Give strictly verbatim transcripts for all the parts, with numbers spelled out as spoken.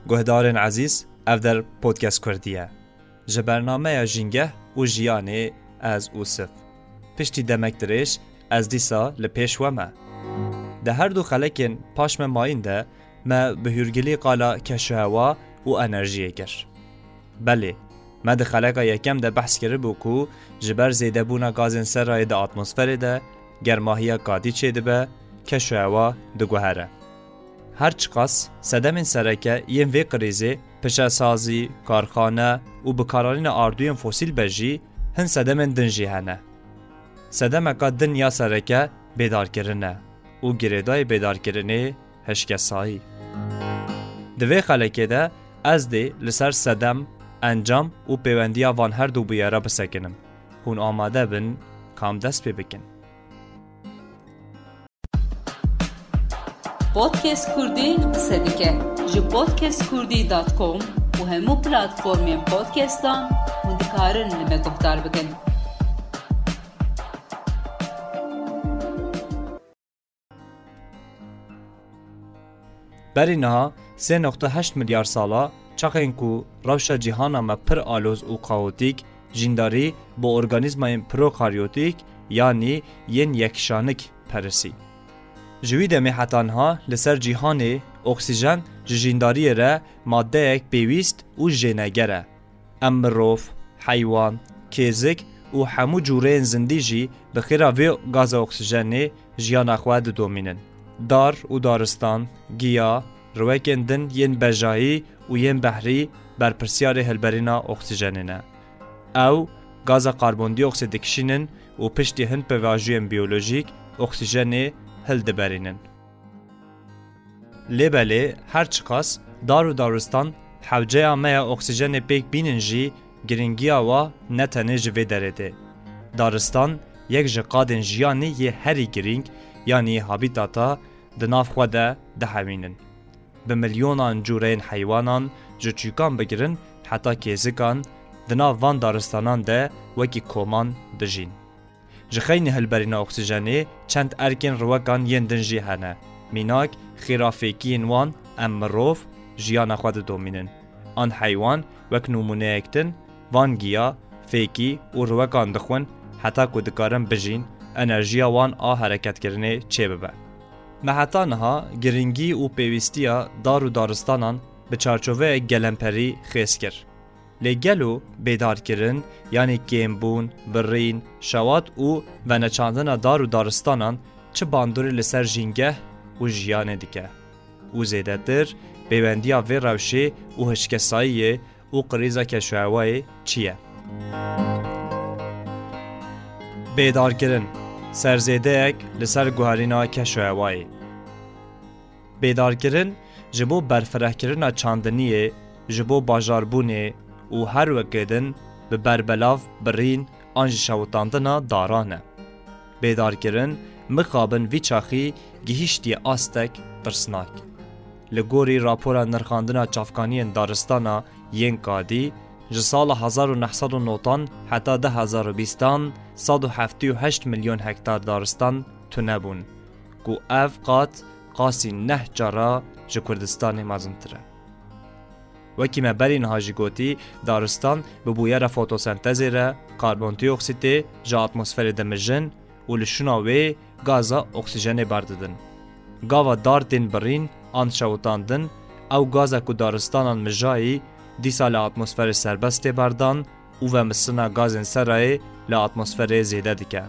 Guhdarên ezîz, ev der podcast Kurdî ye. Ji bernameya Jîngeh û Jiyanê ez Ûsif. Piştî demek dirêj ez dîsa li pêş we me. Di her du xelekên paş me mayîn de me bi hûrgilî qala keşûhewa û enerjiyê kir. Belê, me di xeleka yekem de behs kiribû ku ji ber zêdebûna gazên serayê di atmosferê de germahiya kadî çêdibe, keşûhewa diguhere. Her çiqas sedemên sereke yên vê krîzê pişesazî, karxane û bikaranîna ardûyên fosîl be jî, hin sedemên din jî hene. Sedemeka din ya sereke bêdarkirin e û girêdayî bêdarkirinê hişkesayî. Di vê xelekê de ez dê li ser sedem, encam û pêwendiya van her du bûyera bisekinim. Hûn amade bin, kam dest pê bikin? Podcast Kurdî qise dike. Ji podcast kurdî dot com û hemû platformên podcastan hûn dikarin li me guhdar bikin. Berî niha sê nokta heşt milyar sala, çaxên ku rewşa cîhana me pir aloz û kaotîk, jîndarî bi organîzmayên prokaryotîk, yanî yên yekşanik perisî. Ji wî demê heta niha li ser cîhanê oksîjen ji jîndariyê re madeyek pêwîst û jêneger e. Em mirov, heywan, kêzik û hemû cûreyên zindî jî bi xêra vê gaza oksîjenê jiyana xwe didomînin. Dar û daristan, giya, riwekên din yên bejayî û yên behrî berpirsiyarê hilberîna oksîjenê ne. Ew gaza karbondîoksîd dikişînin û piştî hin pêvajoyên biyolojîk oksîjenê hildiberînin. Lê belê her çiqas dar û daristan hewceya me ya oksîjenê pêk bînin jî, girîngiya wa ne tenê ji vê derê tê. Daristan yek ji qadên jiyanê yê herî girîng, yanî habîtata di nav xwe de dihewînin. Bi milyonan cûreyên heywanan, ji çûkan bigirin heta kêzikan, di nav van daristanan de wekî koman dijîn. Ji xeynî hilberîna oksîjenê çend erkên riwekan yên din jî hene. Mînak, xêra fêkiyên wan em mirov jiyana xwe didomînin. An heywan wek nimûneyek din, van giya, fêkî û riwekan dixwin heta ku dikarin bijîn, enerjiya wan a hereketkirinê çêbibe. Me heta niha girîngî û pêwîstiya dar û daristanan bi çarçoveyek gelemperî xêz kir. Lê gelo bêdarkirin, yanî kêmbûn, birîn, şewat û veneçandina dar û daristanan çi bandorê li ser jîngeh û jiyanê dike? Û zêdetir, pêwendiya vê rewşê û hişkesayiyê û krîza keşûhewayê çi ye? Bêdarkirin, serzêdeyek li ser guherîna keşûhewayê. Bêdarkirin ji bo berfirehkirina çandiniyê, ji bo bajarbûnê û her weke din bi berbelav, birîn an jî şewitandina daran e. Bêdarkirin mixabin vî çaxî gihîştiye astek tirsnak. Li gorî rapora nirxandina çavkaniyên daristana yên kadî, ji sala hezar û neh sed û newdan heta du hezar û bîstan sed û heftê û heşt milyon hektar daristan tune bûn, ku ev qat qasî neh cara ji Kurdistanê mezintir e. Wekî me berî niha jî gotî, daristan bi bûyera fotosentezê re karbondioksîtê ji atmosferê dimijin û li şûna wê gaza oksîjenê berdidin. Gava dar tên birîn an şewitandin, ew gaza ku daristanan mijayî, dîsa li atmosferê serbest tê berdan û vemistina gazên serayê li atmosferê zêde dike.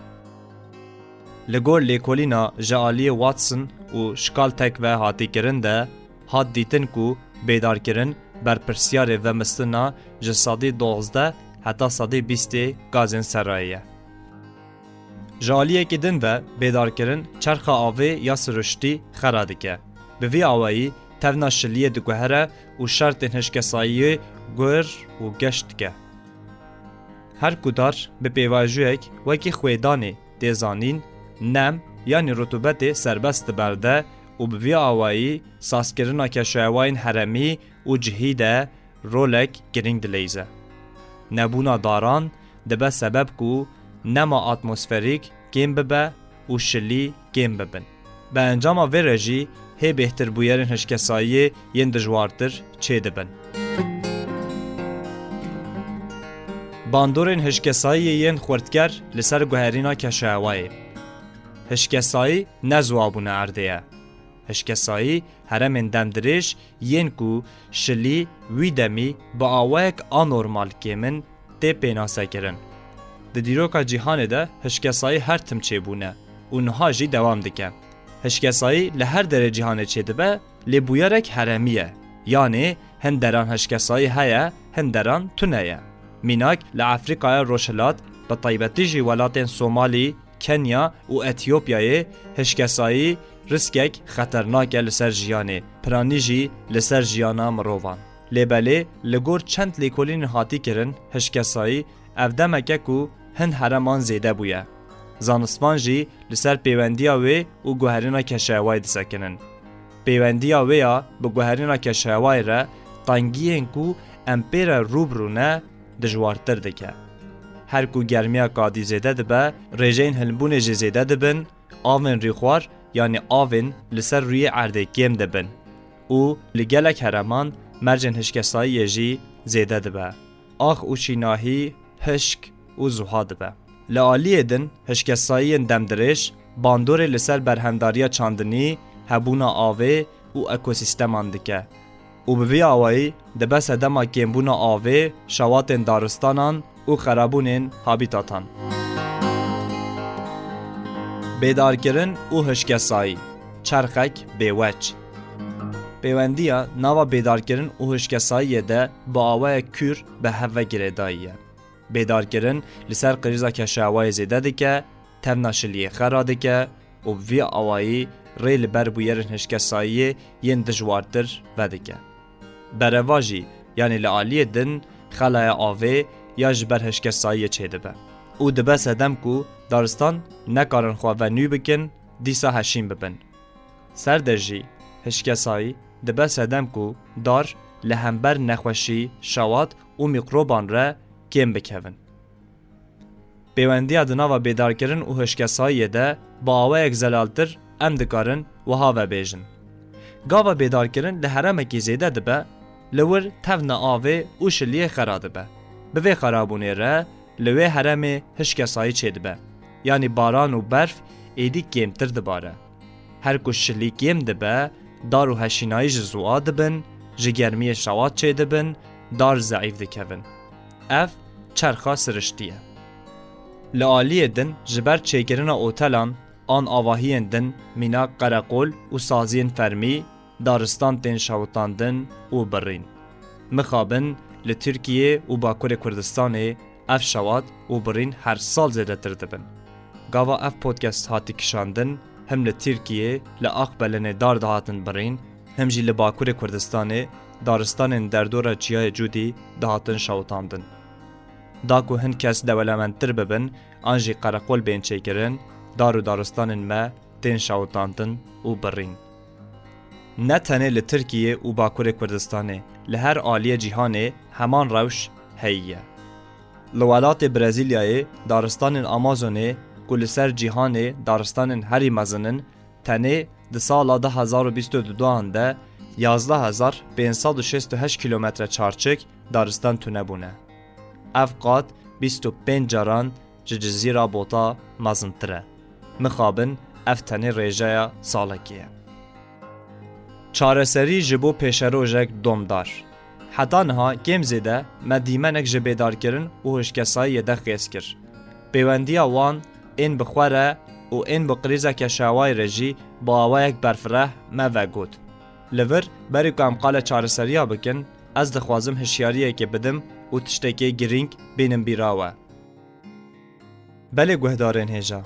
Li gor lêkolîna ji aliyê Watson û Schkaltek ve hatî kirin de, hat dîtin ku bêdarkirin berpirsiyarê vemistina ji sedî dozdeh heta sedî bîstê gazên serayê ye. Ji aliyekî din ve bêdarkirin çerxa avê ya siruştî xera dike. Bi vî awayî tevna şiliyê diguhere û şertên hişkesayiyê guir û geş dike. Her ku dar bi pêvajoyek wekî xwêdanê tê zanîn, nem yanî rutubetê serbest diberde û bi vî awayî sazkirina keşûhewayên herêmî û cihî de rolek girîng dileyze. Nebûna daran dibe sebeb ku nema atmosferîk kêm bibe û şilî kêm bibin. Bi encama vê re jî hê bêhtir bûyerên hişkesayiyê yên dijwartir çêdibin. Bandorên hişkesayiyê yên xurtker li ser guherîna keşehewayê. Hişkesayî ne ziwa bûne erdê ye. Hişkesayî heremên demdirêj yên ku şilî wî demî bi awayek anormal kêm in tê pênasekirin. Di dîroka cîhanê de hişkesayî her tim çêbûne û niha jî dewam dike. Hişkesayî li her derê cîhanê çêdibe, lê bûyerek heremî ye. Yanê hin deran hişkesayî heye, hin deran tune ye. Mînak li Efrîkaya Rojhilat, bi taybetî jî welatên Somalî, Kenya û Etiyopyayê hişkesayî riskek xeternak e li ser jiyanê, piranî jî li ser jiyana mirovan. Lê belê li gor çend lêkolînên hatî kirin, hişkesayî ev demeke ku hin hereman zêde bûye. Zanistvan jî li ser pêwendiya wê û guherîna keşehewayê disekinin. Pêwendiya wê ya bi guherîna keşehewayê re tengiyên ku em pê re rû bi rû ne dijwartir dike. Her ku germiya kadî zêde dibe, rêjeyên hilbûnê jî zêde dibin, avên rîxwar, yanî avên li ser rûyê erdê kêm dibin û li gelek hereman mercên hişkesayiyê jî zêde dibe. Ax û şînahî, hişk û zuha dibe. Li aliyê din, hişkesayiyên demdirêj bandorê li ser berhemdariya çandinî, hebûna avê û ekosîsteman dike û bi vî awayî dibe sedema kêmbûna avê, şewatên daristanan û xerabûnên habîtatan. Bêdarkirin û hişkesayî, çerxek bêweç. Pêwendiya nava bêdarkirin û hişkesayiyê de bi awayek kûr bi hev ve girêdayî ye. Bêdarkirin li ser krîza keşehewayê zêde dike, tevna şiliyê xera dike û bi vî awayî rê li ber bûyerên hişkesayiyê yên dijwartir vedike. Berevajî, yanî li aliyê din xelaya avê ya ji ber hişkesayiyê çêdibe û dibe sedem ku daristan nekarin xwe venû bikin, dîsa heşîn bibin. Ser de jî hişkesayî dibe sedem ku dar li hember nexweşî, şewat û mîkroban re kêm bikevin. Pêwendiya di nava bêdarkirin û hişkesayiyê de bi awayek zelaltir em dikarin wiha vebêjin. Gava bêdarkirin li heremekî zêde dibe, li wir tevna avê û şiliyê xera dibe. Bi vê xerabûnê re li wê heremê hişkesayî çêdibe. Yanî baran û berf êdî kêmtir dibare. Her ku şilî kêm dibe, dar û heşînayî ji ziwa dibin, ji germiyê şewat çêdibin, dar zeîf dikevin. Ev çerxa siriştî ye. Li aliyê din ji ber çêkirina otelan an avahiyên din mînak qereqol û saziyên fermî, daristan tên şewitandin û birîn. Mixabin li Tirkiyê û Bakurê Kurdistanê ev şewat û birîn her sal zêdetir dibin. Gava ev podcast hatî kişandin, him li Tirkiyê li Aqbelenê dar dihatin birîn, him jî li Bakurê Kurdistanê daristanên derdora Çiyayê Cûdî dihatin şewitandin. Da ku hin kes dewelemendtir bibin an jî qereqol bên çêkirin, dar û daristanên me tên şewitandin û birîn. Ne tenê li Tirkiyê û Bakurê Kurdistanê, li her aliyê cîhanê heman rewş heyî ye. Li welatê Brezîlyayê daristanên Amazonê ku li ser cîhanê daristanên herî mezin in, tenê di sala du hezar û bîst û duan de yazdeh hezar pênc sed û şêst û heşt kîlometre çarçik daristan tune bûne. Ev qat bîst û pênc caran ji Cizîra Bota mezintir e. Mixabin ev tenê rêjeya salekê ye. Çareserî ji bo pêşerojek domdar. Heta niha kêm zêde me dîmenek ji bêdarkirin û hişkesayiyê de xêz kir. Pêwendiya wan ên bi xwe re û ên bi krîza keşewayê re jî bi awayek berfireh me vegot. Li vir, berî ku em qala çareseriya bikin, ez dixwazim hişyariyekê bidim û tiştekê girîng bînim bîra we. Belê guhdarên hêja,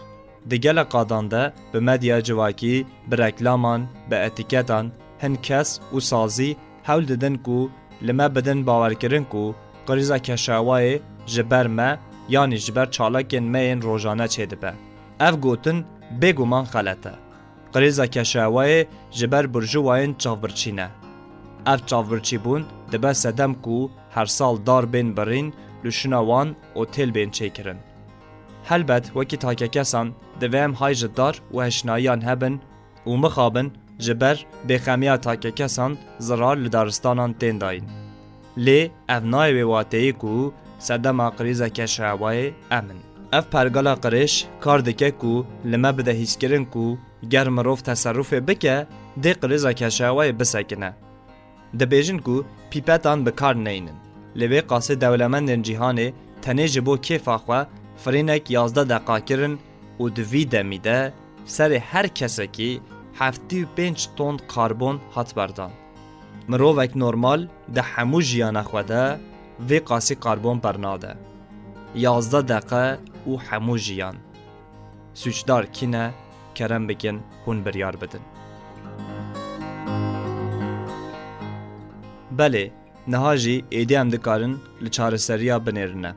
di gelek qadan de bi medya civakî, bi reklaman, bi etîketan hin kes û sazî hewl didin ku li me bidin bawerkirin ku krîza keşewayê ji ber me, yanî ji ber çalakên me yên rojane çêdibe. Ev gotin bêguman xelet e. Krîza keşewayê ji ber burjûwayên çavbirçî ne. Ev çavbirçîbûn dibe sedem ku her sal dar bên birîn, lûşina wan otêl bên çêkirin. Helbet wekî takekesan divê em hay ji dar û heşnayiyan hebin û mixabin Ji ber bêxemiya takekesan zirar li daristanan tên dayîn. Lê ev nayê wê wateyê ku sedema krîza keşewayê em in. Ev pergala qirêj kar dike ku li me bide hîskirin ku ger mirov teserrufê bike, dê krîza keşewayê bisekine. Dibêjin ku pîpetan bi kar neynin. Li vê qasê dewlemendên cîhanê tenê ji bo kêfa xwe firînek yazdeh deqa kirin û di vî demî de serê her kesekî heftê û pênc ton karbon hat berdan. Mirovek normal di hemû jiyana xwe de vê qasî karbon bernade. Yazdeh deqe û hemû jiyan. Sûcdar kî ne? Kerem bikin hûn biryar bidin. Belê, niha jî êdî em dikarin li çareseriya binêrine.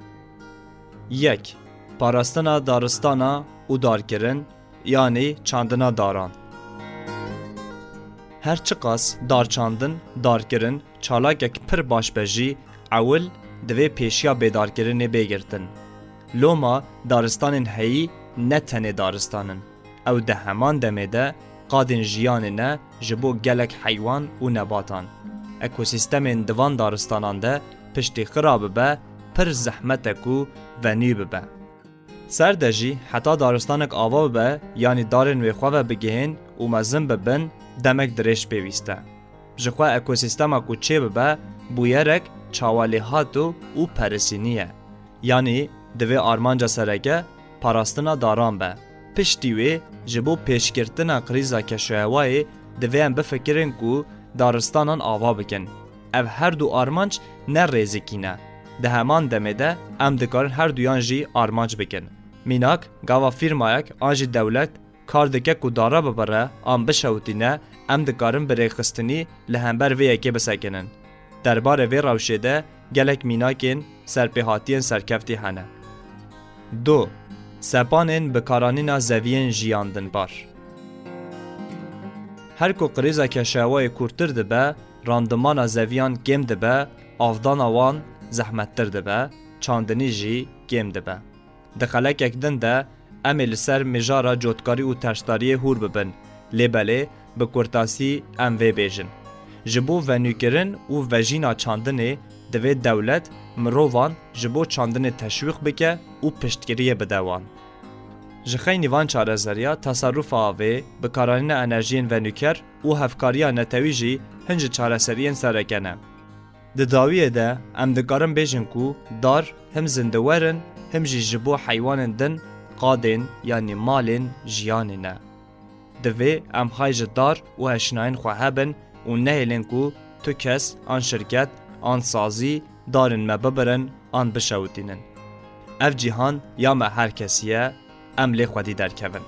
Yek, parastina daristana û darkirin, yanî çandina daran. Her çiqas darçandin, darkirin çalakek pir baş be jî, ewil divê pêşiya bêdarkirinê bê girtin. Loma daristanên heyî ne tenê daristan in. Ew di heman demê de qadên jiyanê ne ji bo gelek heywan û nebatan. Ekosîstemên di van daristanan de piştî xira bibe, pir zehmet e ku venî bibe. Ser de jî heta daristanek ava bibe, yanî darên wê xwe ve bigihên û mezin bibin, demek dirêj pêwîst e. Ji xwe ekosîstema ku çêbibe, bûyerek çawalêhat û, û perisînî ye. Yanî divê armanca sereke parastina daran be. Piştî wê ji bo pêşgirtina krîza keşûhewayê divê em bifikirin ku daristanan ava bikin. Ev her du armanc ne rêzikî ne. Di heman demê de em dikarin her duyan jî armanc bikin. Mînak, gava fîrmayek an jî dewlet kar dike ku dara bibire an bişewitîne, em dikarin bi rêxistinî li hember vê yekê bisekinin. Derbarê vê rewşê de gelek mînakên serpêhatiyên serkeftî hene. Du. Sepanên bikaranîna zeviyên jiyan dinbar. Her ku krîza keşewayê kûrtir dibe, randimana zeviyan kêm dibe, avdana wan zehmettir dibe, çandinî jî kêm dibe. Di xelekek din de em ê li ser mijara cotkarî û tersdariyê hûr bibin, lê belê bi kurtasî em vê bêjin. Ji bo venûkirin û vejîna çandinê divê dewlet mirovan ji bo çandinê teşwîq bike û piştgiriyê bide wan. Ji xeynî van çareseriya, teserrufa avê, bikaranîna enerjiyên venûker û hevkariya netewî jî hin ji çareseriyên sereke ne. Di dawiyê de em dikarin bêjin ku dar him zindewer in, him jî ji bo heywanên din qadên, yanî malên jiyanê ne. Divê em hay ji dar û hişnayên xwe hebin û nehêlin ku tu kes an şirket an sazî darên me bibirin an bişewitînin. Ev cîhan ya me her kesî ye, em lê xwedî derkevin.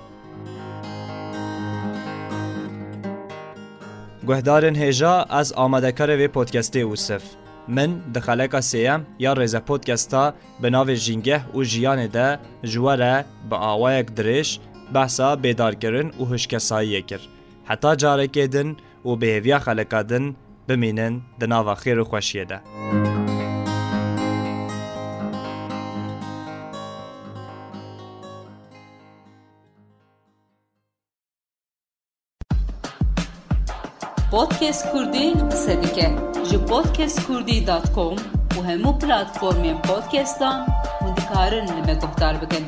Guhdarên hêja, ez amadekarê vê podcastê Ûsif. Min di xeleka sêyem ya Rêze Podcasta bi navê Jîngeh û Jiyanê de ji we re bi awayek dirêj behsa bêdarkirin û hişkesayiyê kir. Heta carekê din û bi hêviya xeleka din bimînin di nava xêr û xweşiyê de. Podcast Kurdî qise dike. Ji podcast kurdî dot com û hemû platformên podcastan hûn dikarin li me guhdar bikin.